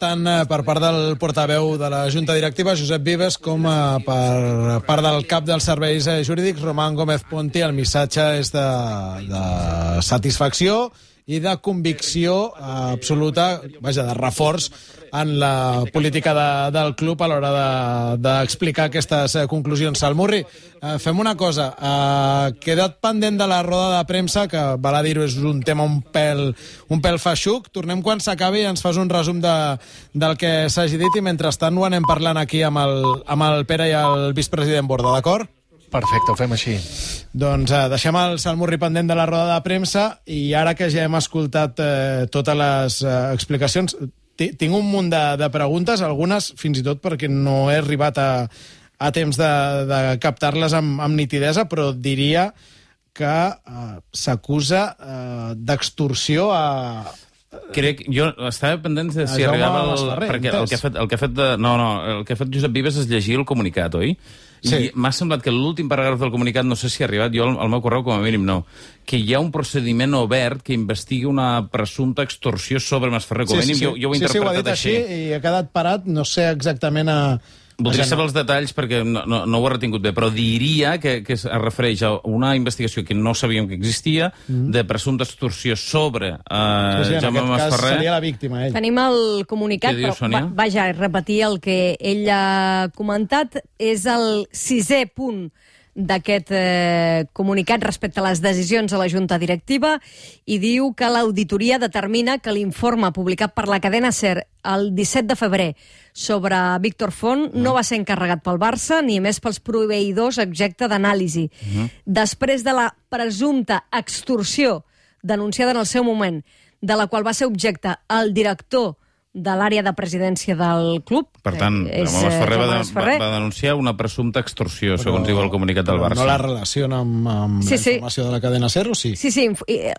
tant per part del portaveu de la Junta Directiva, Josep Vives, com per part del cap dels serveis jurídics, Román Gómez Ponti. El missatge és de satisfacció i de convicció absoluta, vaja, de reforç en la política del club a l'hora d'explicar aquestes conclusions. Salmurri, fem una cosa. Queda't pendent de la roda de premsa, que val a dir-ho, és un tema un pèl feixuc. Tornem quan s'acabi i ens fas un resum del que s'hagi dit i mentrestant ho anem parlant aquí amb el Pere i el vicepresident Borda, d'acord? Perfecte, ho fem així. Doncs deixem el Salmurri pendent de la roda de premsa i ara que ja hem escoltat totes les explicacions, tinc un munt de preguntes, algunes fins i tot perquè no he arribat a temps de captar-les amb nitidesa, però diria que s'acusa d'extorsió a... Jo estava pendent de si arribava... Perquè el que ha fet Josep Vives és llegir el comunicat, oi? Sí. I m'ha semblat que l'últim paràgraf del comunicat, no sé si ha arribat, jo al meu correu com a mínim no, que hi ha un procediment obert que investigui una presumpta extorsió sobre Masferrer, com a mínim. Jo ho he interpretat així. I ha quedat parat, no sé exactament a... Voldria saber els detalls perquè no ho he retingut bé, però diria que es refereix a una investigació que no sabíem que existia, de presumpta extorsió sobre Jaume Masferrer. En aquest cas seria la víctima, ell. Tenim el comunicat, però vaja, repetir el que ell ha comentat. És el 6è punt d'aquest comunicat respecte a les decisions a la Junta Directiva i diu que l'auditoria determina que l'informe publicat per la cadena SER el 17 de febrer sobre Víctor Font no va ser encarregat pel Barça ni més pels proveïdors objecte d'anàlisi. Després de la presumpta extorsió denunciada en el seu moment, de la qual va ser objecte el director de l'àrea de presidència del club. Per tant, Masferrer va denunciar una presumpta extorsió, segons diu el comunicat del Barça. No la relaciona amb la informació de la cadena SER, o sí? Sí,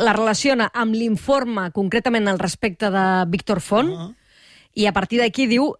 la relaciona amb l'informe, concretament al respecte de Víctor Font, i a partir d'aquí diu,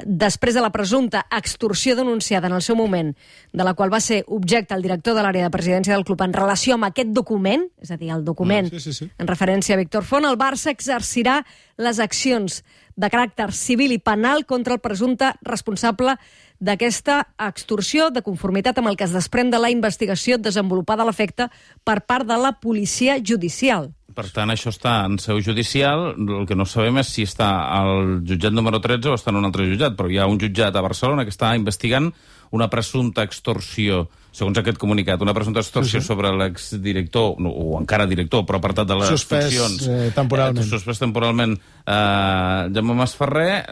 després de la presumpta extorsió denunciada en el seu moment, de la qual va ser objecte el director de l'àrea de presidència del club en relació amb aquest document, és a dir, el document en referència a Víctor Font, el Barça exercirà les accions de caràcter civil i penal contra el presumpte responsable d'aquesta extorsió de conformitat amb el que es desprèn de la investigació desenvolupada a l'efecte per part de la policia judicial. Per tant, això està en seu judicial. El que no sabem és si està al jutjat número 13 o està en un altre jutjat, però hi ha un jutjat a Barcelona que està investigant una presumpta extorsió, segons aquest comunicat, una presumpta extorsió sobre l'exdirector, o encara director, però apartat de les funcions. Suspès temporalment. Suspès temporalment Jaume Masferrer,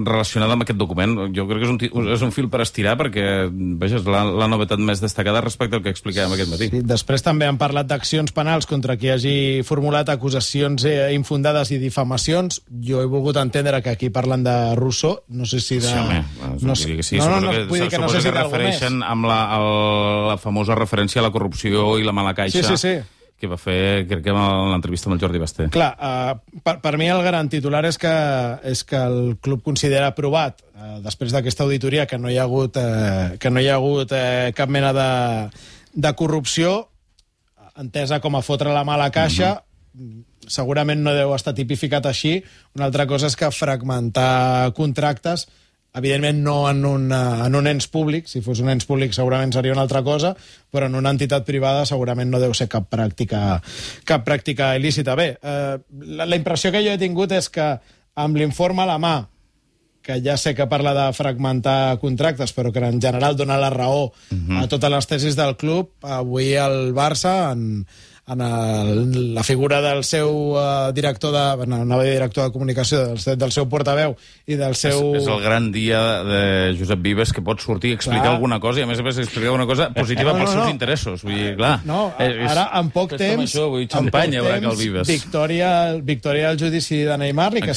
relacionada amb aquest document. Jo crec que és un fil per estirar, perquè, vaja, és la novetat més destacada respecte al que explicàvem aquest matí. Sí, després també han parlat d'accions penals contra qui hagi formulat acusacions infundades i difamacions. Jo he volgut entendre que aquí parlen de Rousseau, no sé si de... Sí, suposo que refereixen amb la famosa referència a la corrupció i la mala caixa que va fer, crec que en l'entrevista amb el Jordi Basté. Clar, per mi el gran titular és que el club considera aprovat, després d'aquesta auditoria, que no hi ha hagut cap mena de corrupció, entesa com a fotre la mala caixa. Segurament no deu estar tipificat així. Una altra cosa és que fragmentar contractes, evidentment no en un ens públic, si fos un ens públic segurament seria una altra cosa, però en una entitat privada segurament no deu ser cap pràctica il·lícita. Bé, la impressió que jo he tingut és que amb l'informe a la mà, que ja sé que parla de fragmentar contractes, però que en general dona la raó a totes les tesis del club, avui el Barça, en la figura del seu director de comunicació, del seu portaveu i del seu... És el gran dia de Josep Vives, que pot sortir i explicar alguna cosa, i a més explicar una cosa positiva pels seus interessos. Vull dir, clar... Ara, en poc temps... Xampanya, el Vives. Victòria al judici de Neymar, ni que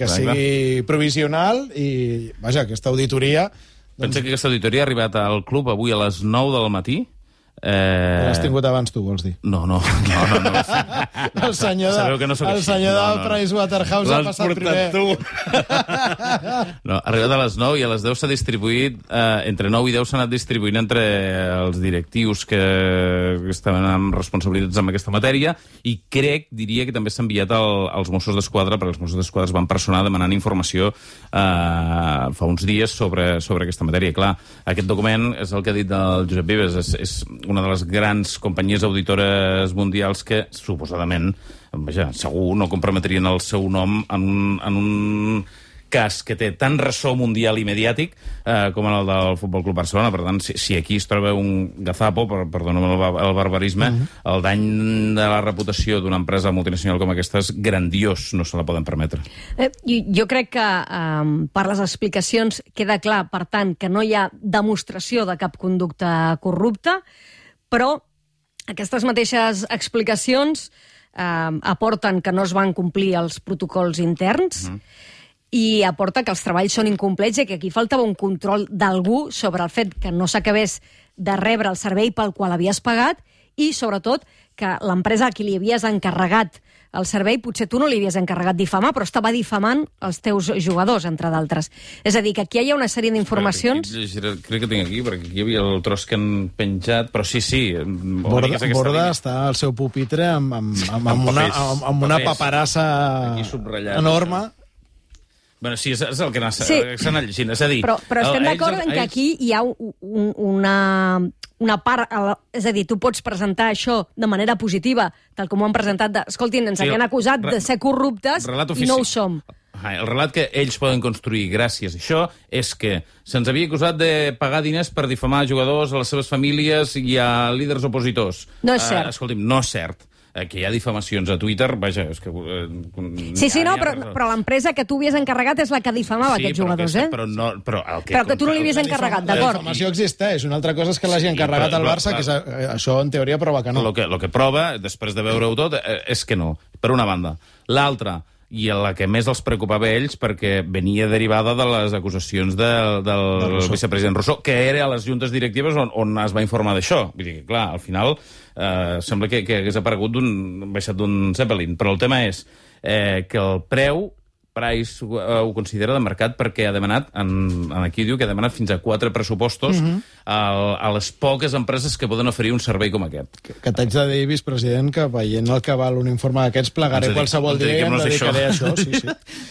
sigui provisional, i, vaja, aquesta auditoria... Pensa que aquesta auditoria ha arribat al club avui a les 9 del matí, L'has tingut abans tu, vols dir? No. El senyor del Pricewaterhouse ha passat primer. No, ha arribat a les 9 i a les 10 s'ha distribuït, entre 9 i 10 s'ha anat distribuint entre els directius que estaven amb responsabilitats en aquesta matèria i diria que també s'ha enviat als Mossos d'Esquadra, perquè els Mossos d'Esquadra es van personar demanant informació fa uns dies sobre aquesta matèria. Clar, aquest document és el que ha dit el Josep Vives, és una de les grans companyies auditores mundials que, suposadament, segur no comprometrien el seu nom en un cas que té tant ressò mundial i mediàtic com el del Futbol Club Barcelona. Per tant, si aquí es troba un gazapo, perdona'm el barbarisme, el dany de la reputació d'una empresa multinacional com aquesta és grandiós, no se la poden permetre. Jo crec que per les explicacions queda clar, per tant, que no hi ha demostració de cap conducta corrupta, però aquestes mateixes explicacions aporten que no es van complir els protocols interns i aporta que els treballs són incomplets i que aquí faltava un control d'algú sobre el fet que no s'acabés de rebre el servei pel qual havies pagat i, sobretot, que l'empresa a qui li havies encarregat el servei, potser tu no li havies encarregat difamar, però estava difamant els teus jugadors, entre d'altres. És a dir, que aquí hi ha una sèrie d'informacions... Crec que tinc aquí, perquè aquí hi havia el tros que han penjat, però sí. Borda està al seu pupitre amb una paperassa enorme. Bueno, sí, és el que s'ha anat llegint. És a dir... Però estem d'acord en que aquí hi ha una part... És a dir, tu pots presentar això de manera positiva, tal com ho han presentat, escoltin, ens havien acusat de ser corruptes i no ho som. El relat que ells poden construir gràcies a això és que se'ns havia acusat de pagar diners per difamar jugadors, a les seves famílies i a líders opositors. No és cert. Escolti'm, no és cert. Que hi ha difamacions a Twitter, vaja, és que... però l'empresa que tu havies encarregat és la que difamava aquests jugadors, Però que tu no li havies encarregat, d'acord. La difamació existeix, una altra cosa és que l'hagi encarregat al Barça, que això en teoria prova que no. El que prova, després de veure-ho tot, és que no, per una banda. L'altra, i la que més els preocupava a ells perquè venia derivada de les acusacions del vicepresident Rousseau, que era a les juntes directives on es va informar d'això. Vull dir que, clar, al final sembla que hagués aparegut baixat d'un Zeppelin, però el tema és que el preu Price ho considera de mercat perquè ha demanat, aquí diu que ha demanat fins a 4 pressupostos a les poques empreses que poden oferir un servei com aquest. Que t'haig de dir, vicepresident, que veient el que val un informe d'aquests plegaré qualsevol dia i em dedicaré a això.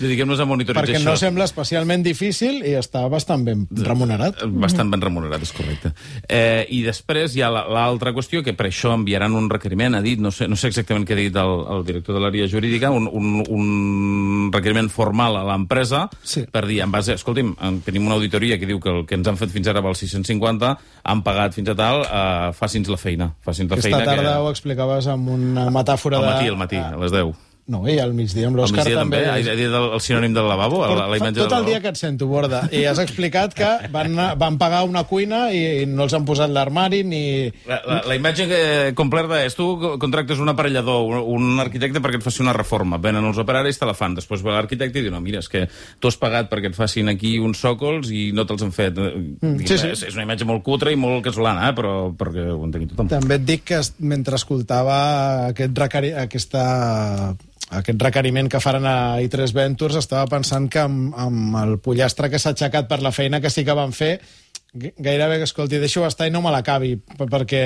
Dediquem-nos a monitoritzar això. Perquè no sembla especialment difícil i està bastant ben remunerat. Bastant ben remunerat, és correcte. I després hi ha l'altra qüestió, que per això enviaran un requeriment, ha dit, no sé exactament què ha dit el director de l'àrea jurídica, un requeriment formal a l'empresa per dir, en base, escolti'm, tenim una auditoria que diu que el que ens han fet fins ara val 650, han pagat fins a tal, faci'ns la feina. Aquesta tarda ho explicaves amb una metàfora al matí, a les 10. No, i al migdia amb l'Òscar també. Ha dit el sinònim del lavabo? Tot el dia que et sento, Borda. I has explicat que van pagar una cuina i no els han posat l'armari ni... La imatge completa és tu contractes un aparellador, un arquitecte perquè et faci una reforma. Venen els operaris, te la fan. Després va l'arquitecte i diu, no, mira, és que tu has pagat perquè et facin aquí uns sòcols i no te'ls han fet. És una imatge molt cutre i molt casolana, però perquè ho entengui tothom. També et dic que mentre escoltava aquest requeriment que faran a I3 Ventures, estava pensant que amb el pollastre que s'ha aixecat per la feina que sí que van fer, gairebé que, escolti, deixo estar i no me l'acabi, perquè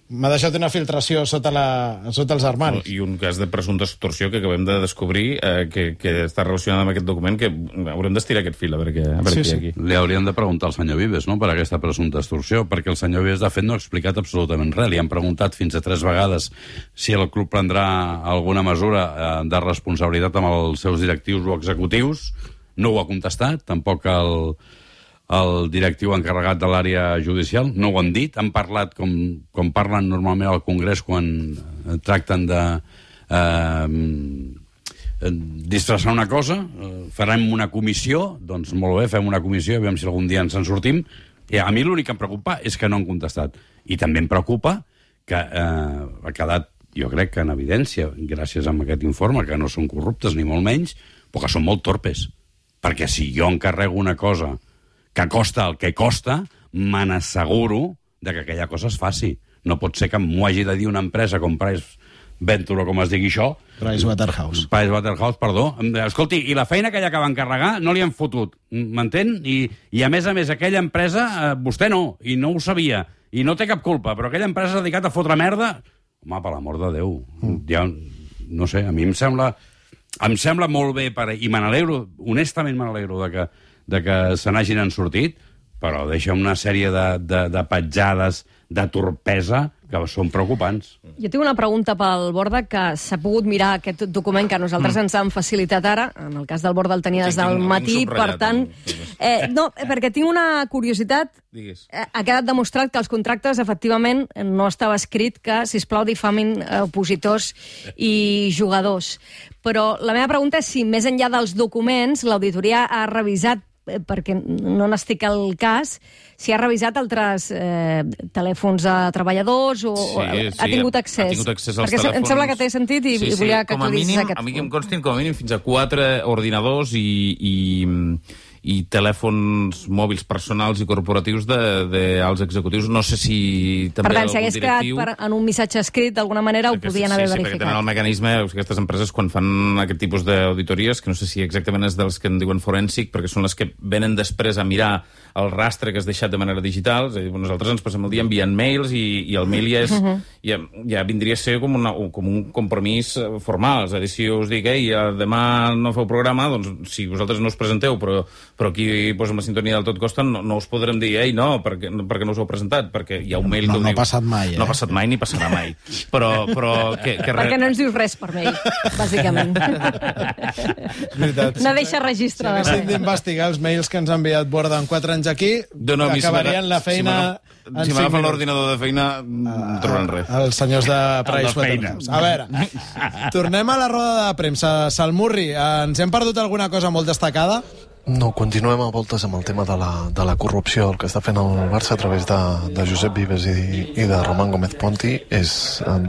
m'ha deixat una filtració sota els armaris. I un cas de presumpta extorsió que acabem de descobrir que està relacionat amb aquest document, que haurem d'estirar aquest fil, a veure què hi ha aquí. Li hauríem de preguntar al senyor Vives, no?, per aquesta presumpta extorsió, perquè el senyor Vives, de fet, no ha explicat absolutament res. Li han preguntat fins a 3 vegades si el club prendrà alguna mesura de responsabilitat amb els seus directius o executius. No ho ha contestat, tampoc el directiu encarregat de l'àrea judicial, no ho han dit, han parlat com parlen normalment al Congrés quan tracten de disfressar una cosa, farem una comissió, doncs molt bé, fem una comissió, aviam si algun dia ens en sortim, i a mi l'únic que em preocupa és que no han contestat. I també em preocupa que ha quedat, jo crec que en evidència, gràcies a aquest informe, que no són corruptes ni molt menys, però que són molt torpes. Perquè si jo encarrego una cosa que costa el que costa, me n'asseguro de que aquella cosa es faci. No pot ser que m'ho hagi de dir una empresa com Pricewaterhouse, com es digui això. Pricewaterhouse, perdó. Escolti, i la feina que allà que van encarregar no li han fotut, m'entén? I a més, aquella empresa, vostè no, i no ho sabia, i no té cap culpa, però aquella empresa s'ha dedicat a fotre merda. Home, per l'amor de Déu. Ja, no sé, a mi em sembla molt bé, i me n'alegro, honestament me n'alegro de que se n'hagin sortit, però deixa una sèrie de petjades, de torpesa, que són preocupants. Jo tinc una pregunta pel Borda, que s'ha pogut mirar aquest document que nosaltres ens han facilitat ara. En el cas del Borda el tenia des del matí, per tant... No, perquè tinc una curiositat. Ha quedat demostrat que els contractes, efectivament, no estava escrit que, sisplau, difamin opositors i jugadors. Però la meva pregunta és si, més enllà dels documents, l'auditoria ha revisat, perquè no n'estic al cas, si ha revisat altres telèfons de treballadors o ha tingut accés. Ha tingut accés als perquè telèfons. Em sembla que té sentit i volia que tu dicis aquest punt. A mi que em constin com a mínim fins a 4 ordinadors i telèfons mòbils personals i corporatius dels executius. No sé si també per tant, si algun hagués directiu... quedat en un missatge escrit, d'alguna manera ho podien haver verificat. Sí, perquè tenen el mecanisme, aquestes empreses, quan fan aquest tipus d'auditories, que no sé si exactament és dels que en diuen forènsic, perquè són les que venen després a mirar el rastre que has deixat de manera digital. És a dir, nosaltres ens passem el dia enviant mails i el mail ja vindria a ser com un compromís formal. És a dir, si us dic, demà no feu programa, doncs si vosaltres no us presenteu, però aquí amb la sintonia del Tot Costa no us podrem dir, no, perquè no us heu presentat, perquè hi ha un mail que ho diu. No ha passat mai, No ha passat mai ni passarà mai. Però perquè no ens dius res per mail, bàsicament. No deixa registre de res. Si haguéssim d'investigar els mails que ens ha enviat Borda en 4 anys aquí, acabarien la feina... Si m'agafen l'ordinador de feina, no trobaran res. Els senyors de Pricewaterhouse. A veure, tornem a la roda de premsa. Salmurri, ens hem perdut alguna cosa molt destacada? No, continuem a voltes amb el tema de la corrupció. El que està fent el Barça a través de Josep Vives i de Román Gómez Ponti és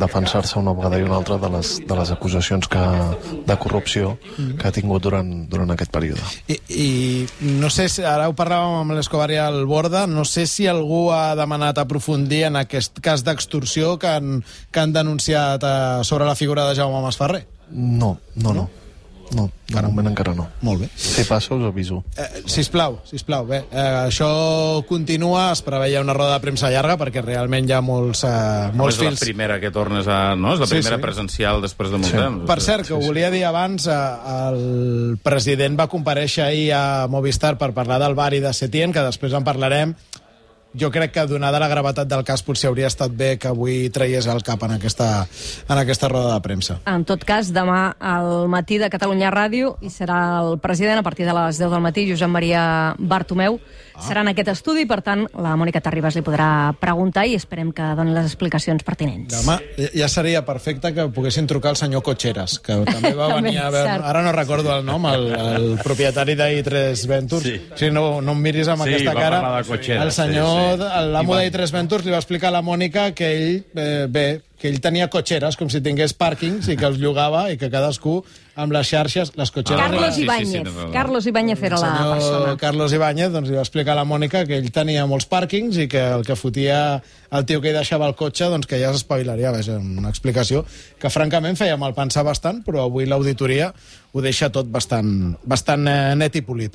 defensar-se una vegada i una altra de les acusacions de corrupció que ha tingut durant aquest període. I no sé si, ara ho parlàvem amb l'Escobar i el Borda, no sé si algú ha demanat aprofundir en aquest cas d'extorsió que han denunciat sobre la figura de Jaume Masferrer. No, de moment encara no. Molt bé. Si passa, us aviso. Sisplau. Bé, això continua, es preveia una roda de premsa llarga perquè realment hi ha molts fils. És la primera que tornes a... No? És la primera presencial després de molt temps. Per cert, que ho volia dir abans, el president va comparèixer ahir a Movistar per parlar del Bari de Setién, que després en parlarem. Jo crec que, donada la gravetat del cas, potser hauria estat bé que avui traies el cap en aquesta roda de premsa. En tot cas, demà al matí de Catalunya Ràdio hi serà el president a partir de les 10 del matí, Josep Maria Bartomeu. Serà en aquest estudi, per tant, la Mònica Terribas li podrà preguntar i esperem que doni les explicacions pertinents. Demà ja seria perfecte que poguessin trucar al senyor Cotxeras, que també va venir a veure... Ara no recordo el nom, el propietari d'I3 Ventures. Si no em miris amb aquesta cara, el senyor, l'amo d'I3 Ventures, li va explicar a la Mònica que ell tenia cotxeres, com si tingués pàrquings, i que els llogava, i que cadascú amb les xarxes, les cotxeres... Carlos Ibáñez. Carlos Ibáñez era la persona. Carlos Ibáñez li va explicar a la Mònica que ell tenia molts pàrquings i que el que fotia el tio que hi deixava el cotxe, doncs que ja s'espavilaria. És una explicació que francament feia mal pensar bastant, però avui l'auditoria ho deixa tot bastant net i polit.